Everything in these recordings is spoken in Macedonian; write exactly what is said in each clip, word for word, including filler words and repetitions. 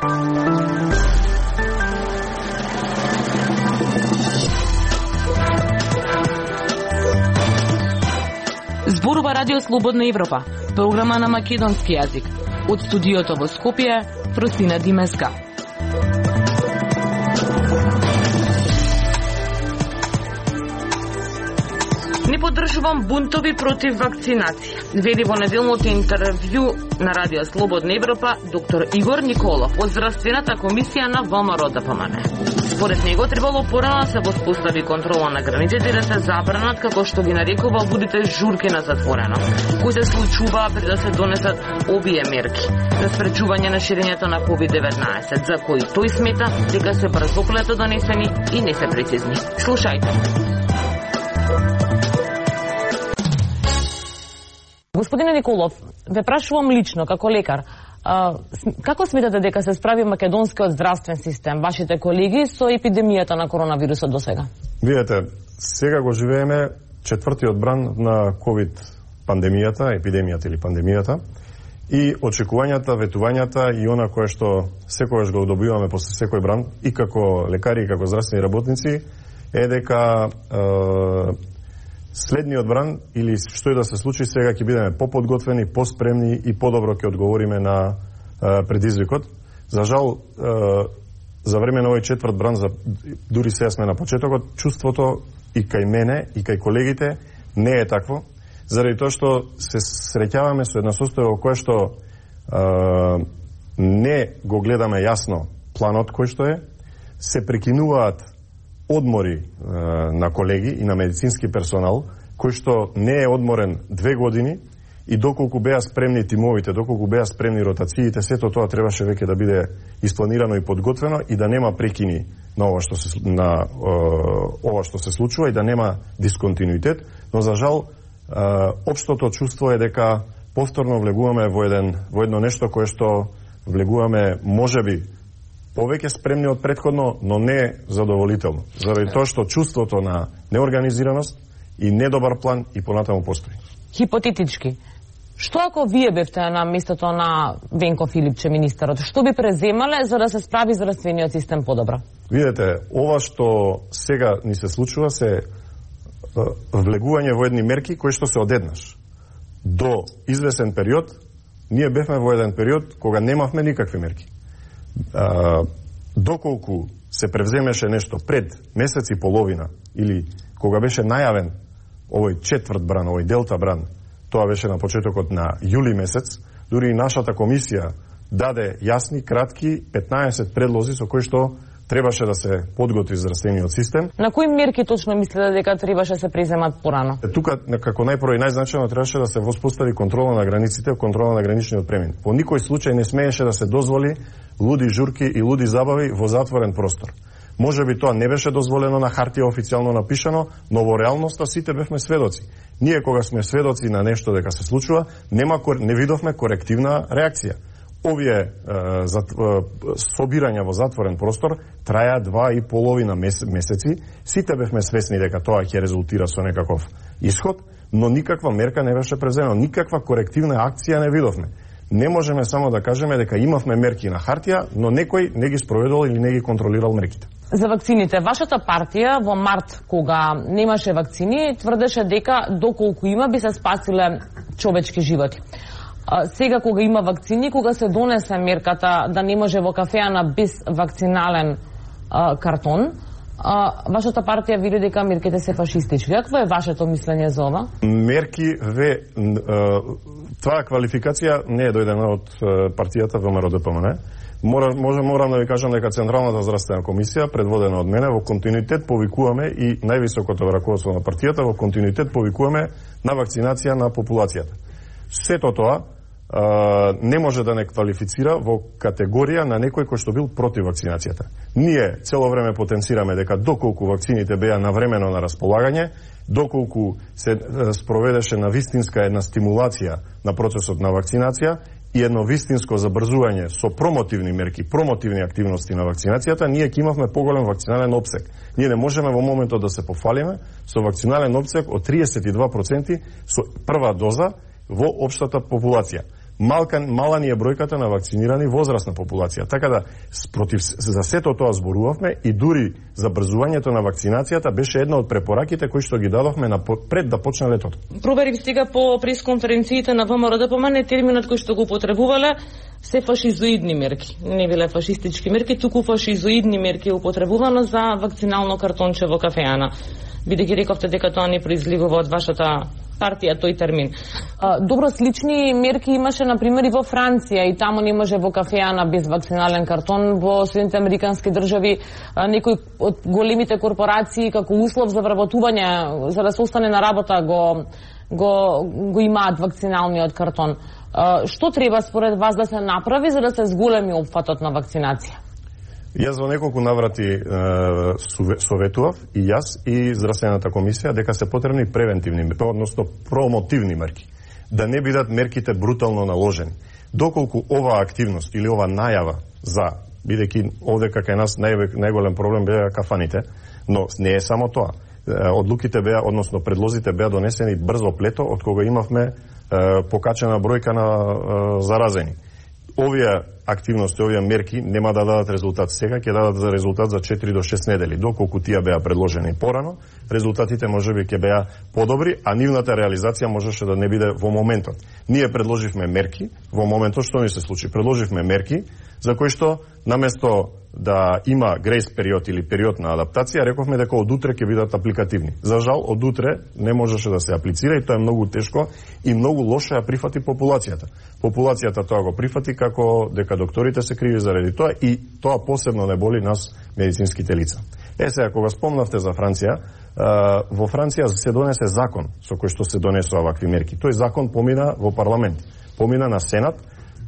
Зборува Радио Слободна Европа, програма на македонски јазик. Од студиото во Скопје, Фростина Димеска. Не поддржувам бунтови против вакцинација, вели во неделното интервју на Радио Слободна Европа доктор Игор Николов од Здравствената комисија на ВМРО-ДПМН. Според него требало порано да се воспостави контрола на границите и да се забранат, како што ги нарекува, лудите журки на затворено, кои се случуваа пред да се донесат овие мерки за спречување на ширењето на ковид деветнаесет, за кои тој смета дека се брзоплето донесени и не се прецизни. Слушајте. Господине Николов, ве прашувам лично, како лекар, а, како сметате дека се справи македонскиот здравствен систем, вашите колеги, со епидемијата на коронавирусот до сега? Видете, сега го живееме четвртиот бран на ковид пандемијата, епидемијата или пандемијата, и очекувањата, ветувањата и она кое што секогаш го добиваме после секој бран, и како лекари, и како здравствени работници, е дека е, следниот бран, или што и да се случи, сега ќе бидеме поподготвени, поспремни и подобро ќе одговориме на е, предизвикот. За жал, е, за време на овој четврт бран, за, дури сега сме на почетокот, чувството и кај мене, и кај колегите не е такво, заради тоа што се среќаваме со една состојба во кое што е, не го гледаме јасно планот кој што е, се прекинуваат одмори е, на колеги и на медицински персонал, кој што не е одморен две години, и доколку беа спремни тимовите, доколку беа спремни ротациите, сето тоа требаше веќе да биде испланирано и подготвено и да нема прекини на ова што се на е, ова што се случува и да нема дисконтинуитет, но за жал е, општото чувство е дека повторно влегуваме во еден во едно нешто кое што влегуваме можеби повеќе спремни од претходно, но не задоволително. Заради тоа што чувството на неорганизираност и недобар план и понатаму постои. Хипотетички, што ако вие бевте на местото на Венко Филипче, министерот, што би преземале за да се справи здравствениот систем подобро? Видете, ова што сега ни се случува се влегување во едни мерки кои што се одеднаш. До извесен период, ние бевме во еден период кога немавме никакви мерки. Uh, доколку се превземеше нешто пред месец и половина или кога беше најавен овој четврт бран, овој делта бран, тоа беше на почетокот на јули месец, дури и нашата комисија даде јасни, кратки петнаесет предлози со кои што требаше да се подготви здравствениот систем. На кои мерки точно мислите дека требаше да се преземат порано? Тука, како најпрво и најзначајно, требаше да се воспостави контрола на границите, контрола на граничниот премин. Во никој случај не смееше да се дозволи луди журки и луди забави во затворен простор. Може би тоа не беше дозволено на хартија официјално напишано, но во реалноста сите бевме сведоци. Ние кога сме сведоци на нешто дека се случува, нема не видовме корективна реакција. Овие е, зат, е, собирања во затворен простор траја два и половина месеци. Сите бевме свесни дека тоа ќе резултира со некаков исход, но никаква мерка не беше преземена, никаква корективна акција не видовме. Не можеме само да кажеме дека имавме мерки на хартија, но некој не ги спроведувал или не ги контролирал мерките. За вакцините, вашата партија во март, кога немаше вакцини, тврдеше дека доколку има би се спасиле човечки животи. Сега кога има вакцини, кога се донесе мерката да не може во кафеана без вакцинален а, картон, а, вашата партија вели дека мерките се фашистички. Какво е вашето мислење за ова? Мерки ве а, таа квалификација не е дојдена од партијата ВМРО-ДПМН. Мора, може, морам да ви кажам дека Централната здравствена комисија, предводена од мене, во континуитет повикуваме и највисокото раководство на партијата во континуитет повикуваме на вакцинација на популацијата. Сето тоа а, не може да не квалифицира во категорија на некој кој што бил против вакцинацијата. Ние цело време потенцираме дека доколку вакцините беа навремено на располагање, доколку се спроведеше на вистинска една стимулација на процесот на вакцинација и едно вистинско забрзување со промотивни мерки, промотивни активности на вакцинацијата, ние ќе имавме поголем вакцинален опсек. Ние не можеме во моментот да се пофалиме со вакцинален опсек од триесет и два проценти со прва доза во општата популација. малка мала ни е бројката на вакцинирани возрастна популација. Така да спротив за сето тоа зборувавме и дури забрзувањето на вакцинацијата беше една од препораките кои што ги дадовме на пред да почне летото. Проверив сега по пресконференциите на ВМРО-ДПМН терминот кој што го потребувале се фашизоидни мерки. Не биле фашистички мерки, туку фашизоидни мерки употребувано за вакцинално картонче во кафеана. Бидејќи рековте дека тоа не произлегува од вашата партија тој термин. А, добро, слични мерки имаше на пример и во Франција, и таму не може во кафеана без вакцинален картон. Во Соединените американски држави а, некои од големите корпорации како услов за вработување, за да се остане на работа, го го го имаат вакциналниот картон. А, што треба според вас да се направи за да се зголеми опфатот на вакцинација? Јас во неколку наврати е, советував и јас и Здравствената комисија дека се потребни превентивни, односно промотивни мерки. Да не бидат мерките брутално наложени. Доколку оваа активност или ова најава за, бидејќи овде кај нас нај, најголем проблем беа кафаните, но не е само тоа. Одлуките беа, односно предлозите беа донесени брзо плето, од кога имавме е, покачена бројка на е, заразени. Овие активности, овие мерки нема да дадат резултат сега, ќе дадат резултат за четири до шест недели. Доколку тие беа предложени порано, резултатите можеби ќе беа подобри, а нивната реализација можеше да не биде во моментот. Ние предложивме мерки, во моментот што ни се случи? Предложивме мерки за кои што наместо да има грейс период или период на адаптација, рековме дека од утре ќе бидат апликативни. За жал, од утре не можеше да се аплицира и тоа е многу тешко и многу лошо ја прифати популацијата. Популацијата тоа го прифати како дека докторите се криви заради тоа и тоа посебно не боли нас медицинските лица. Е, сега, кога спомнавте за Франција, во Франција се донесе закон со кој што се донесува вакви мерки. Тој закон помина во парламент, помина на Сенат.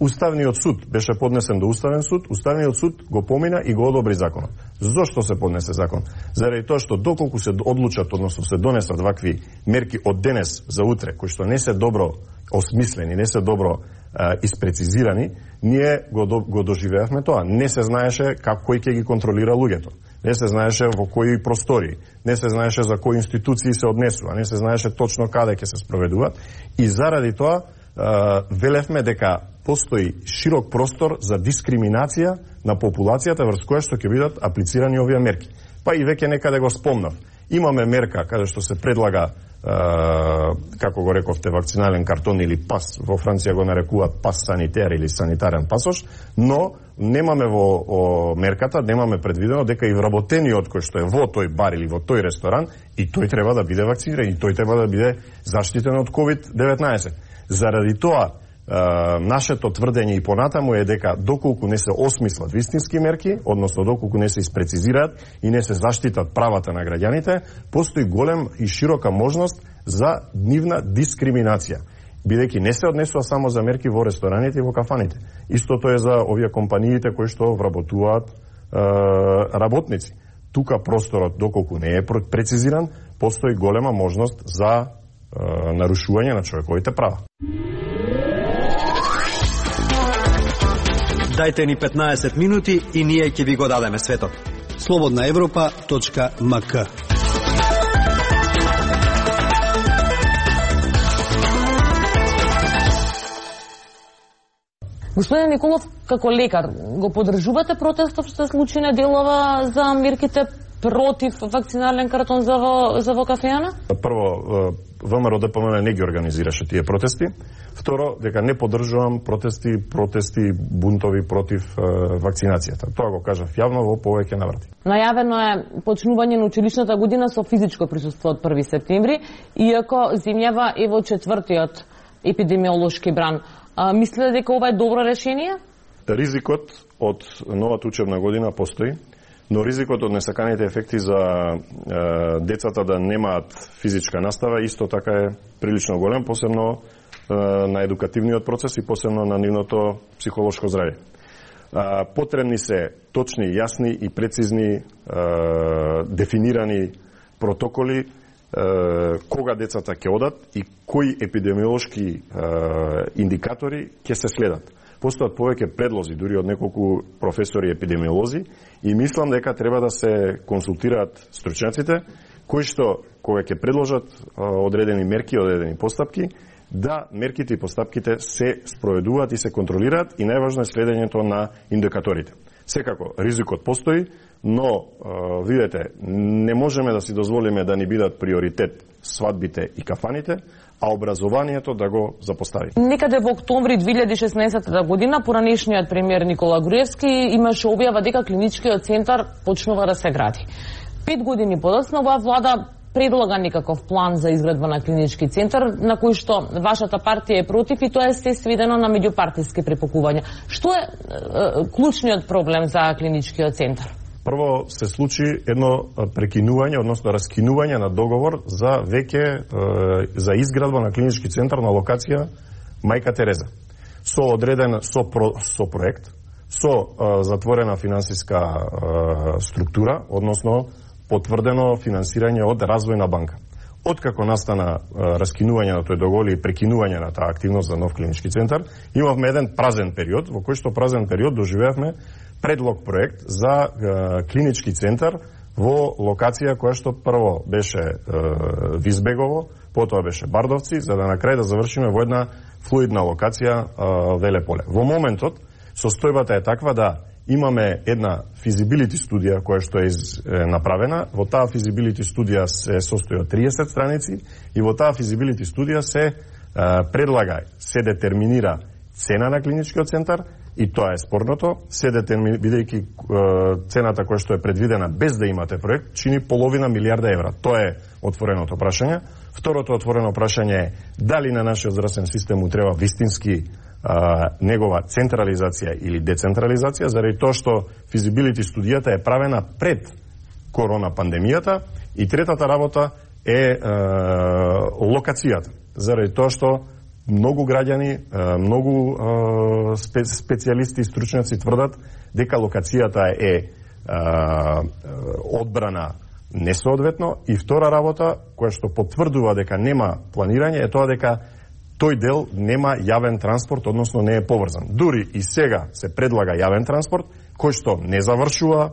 Уставниот суд беше поднесен до Уставен суд, Уставниот суд го помина и го одобри законот. Зошто се поднесе закон? Заради тоа што доколку се одлучат, односно се донесат вакви мерки од денес за утре, кои што не се добро осмислени, не се добро а, испрецизирани, ние го, до, го доживеавме тоа. Не се знаеше како кој ќе ги контролира луѓето. Не се знаеше во кои простори, не се знаеше за кои институции се однесува, не се знаеше точно каде ќе се спроведуваат и заради тоа а, велевме дека постои широк простор за дискриминација на популацијата врз која што ќе бидат аплицирани овие мерки. Па и веќе некаде го спомнав. Имаме мерка каде што се предлага, е, како го рековте, вакцинален картон или пас, во Франција го нарекуваат пас санитер или санитарен пасош, но немаме во о, мерката, немаме предвидено дека и вработениот кој што е во тој бар или во тој ресторан, и тој треба да биде вакциниран, и тој треба да биде заштитен од ковид деветнаесет. Заради тоа, Uh, нашето тврдење и понатаму е дека доколку не се осмислат вистински мерки, односно доколку не се испрецизираат и не се заштитат правата на граѓаните, постои голем и широка можност за нивна дискриминација. Бидејќи не се однесува само за мерки во рестораните и во кафаните. Истото е за овие компаниите кои што вработуваат uh, работници. Тука просторот, доколку не е прецизиран, постои голема можност за uh, нарушување на човековите права. Дајте ни петнаесет минути и ние ќе ви го дадеме светот. слободна европа точка ем ка. Господин Николов, како лекар, го поддржувате протестот што се случи неделова за мерките против вакцинален картон за во, за во кафеана? Прво, ВМРО-ДПМН не ги организираше тие протести. Второ, дека не поддржувам протести, протести, бунтови против е, вакцинацијата. Тоа го кажав јавно во повеќе наврати. Најавено е почнување на училишната година со физичко присуство од први септември, иако земјава е во четвртиот епидемиолошки бран. А, мислите дека ова е добро решение? Ризикот од новата учебна година постои, но ризикот од несаканите ефекти за е, децата да немаат физичка настава исто така е прилично голем, посебно е, на едукативниот процес и посебно на нивното психолошко здравје. Е, потребни се точни, јасни и прецизни е, дефинирани протоколи е, кога децата ќе одат и кои епидемиолошки е, индикатори ќе се следат. Постојат повеќе предлози, дури од неколку професори епидемиолози, и мислам дека треба да се консултираат стручњаците, кои што, кога ќе предложат одредени мерки, одредени постапки, да мерките и постапките се спроведуваат и се контролираат и најважно е следењето на индикаторите. Секако, ризикот постои, но е, видете, не можеме да си дозволиме да ни бидат приоритет свадбите и кафаните, а образованието да го запостави. Некаде во октомври две илјади и шеснаесетта година поранешниот премиер Никола Груевски имаше објава дека клиничкиот центар почнува да се гради. Пет години подоцна оваа влада предлага некаков план за изградба на клинички центар, на кој што вашата партија е против и тоа е се сведено на меѓупартиски препокувања. Што е, е клучниот проблем за клиничкиот центар? Прво се случи едно прекинување, односно раскинување на договор за веќе е, за изградба на клинички центар на локација Мајка Тереза. Со одреден со, про, со проект, со е, затворена финансиска е, структура, односно потврдено финансирање од Развојна банка. Откако настана е, раскинување на тој договор и прекинување на таа активност за нов клинички центар, имавме еден празен период, во кој што празен период доживеавме предлог проект за е, клинички центар во локација која што прво беше е, Визбегово, потоа беше Бардовци, за да на крај да завршиме во една флуидна локација е, Велеполе. Во моментот состојбата е таква да имаме една физибилити студија која што е, из, е направена. Во таа физибилити студија се состои од триесет страници и во таа физибилити студија се е, предлага, се детерминира цена на клиничкиот центар и тоа е спорното, се детерминира, бидејќи е, цената која што е предвидена без да имате проект, чини половина милиарда евра. Тоа е отвореното прашање. Второто отворено прашање е дали на нашиот здравствен систем му треба вистински а, негова централизација или децентрализација, заради тоа што физибилити студијата е правена пред корона пандемијата и третата работа е а, локацијата, заради тоа што многу граѓани, многу спе, специјалисти и стручњаци тврдат дека локацијата е а, одбрана несоодветно и втора работа која што потврдува дека нема планирање е тоа дека тој дел нема јавен транспорт, односно не е поврзан. Дури и сега се предлага јавен транспорт кој што не завршува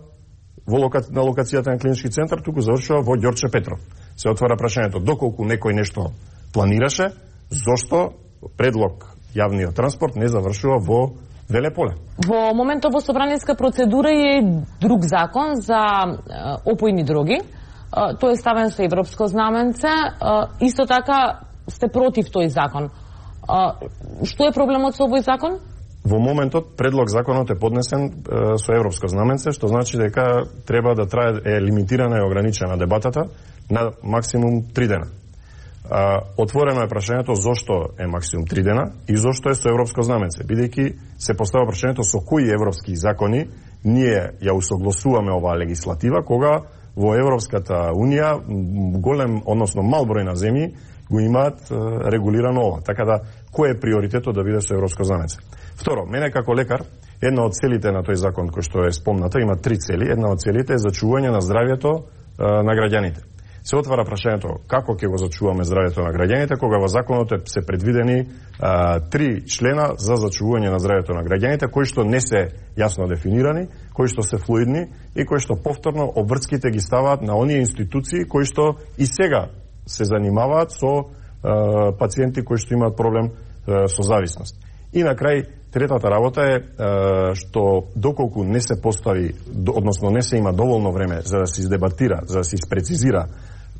во лока... на локацијата на клинички центар, туку завршува во Ѓорче Петров. Се отвара прашањето доколку некој нешто планираше, зошто предлог јавниот транспорт не завршува во Велеполе. Во моментот во собраниска процедура е друг закон за опојни дроги. Тој е ставен со европско знаменце. Исто така сте против тој закон. Што е проблемот со овој закон? Во моментот предлог законот е поднесен е, со европско знаменце, што значи дека треба да трае е лимитирана и ограничена дебатата на максимум три дена. А, отворено е прашањето зошто е максимум три дена и зошто е со европско знаменце, бидејќи се поставува прашањето со кои европски закони ние ја усогласуваме оваа легислатива, кога во Европската Унија голем, односно мал број на земји го имаат е, регулирано ова. Така да, кој е приоритетот да биде со европско знаменце? Второ, мене како лекар, една од целите на тој закон кој што е спомната, има три цели. Една од целите е зачување на здравјето е, на граѓаните. Се отвара прашањето како ќе го зачуваме здравјето на граѓаните, кога во законот се предвидени а, три члена за зачувување на здравјето на граѓаните, кои што не се јасно дефинирани, кои што се флуидни и кои што повторно обврските ги ставаат на оние институции кои што и сега се занимаваат со а, пациенти кои што имаат проблем а, со зависност. И на крај, третата работа е а, што доколку не се постави, односно не се има доволно време за да се издебатира, за да се испрецизира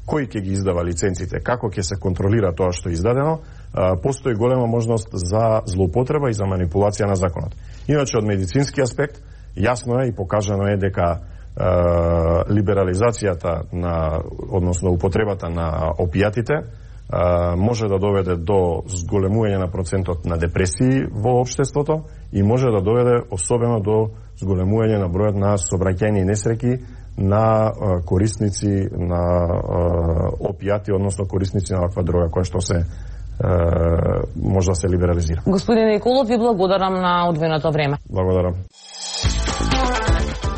кој ќе ги издава лиценците, како ќе се контролира тоа што е издадено, а, постои голема можност за злоупотреба и за манипулација на законот. Иначе од медицински аспект, јасно е и покажано е дека а, либерализацијата на, односно употребата на опијатите а, може да доведе до зголемување на процентот на депресии во општеството и може да доведе особено до зголемување на бројот на сообраќајни несреќи на а, корисници на а, опијати, односно корисници на ваква дрога која што се а, може да се либерализира. Господин Николов, ви благодарам на одвоеното време. Благодарам.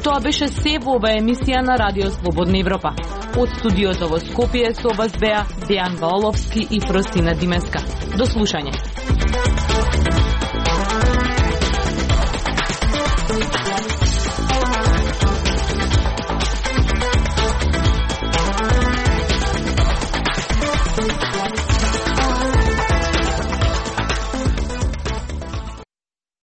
Тоа беше се во ова емисија на Радио Слободна Европа. Од студиото во Скопје со вас беа Дејан Ваоловски и Фростина Димеска. До слушање.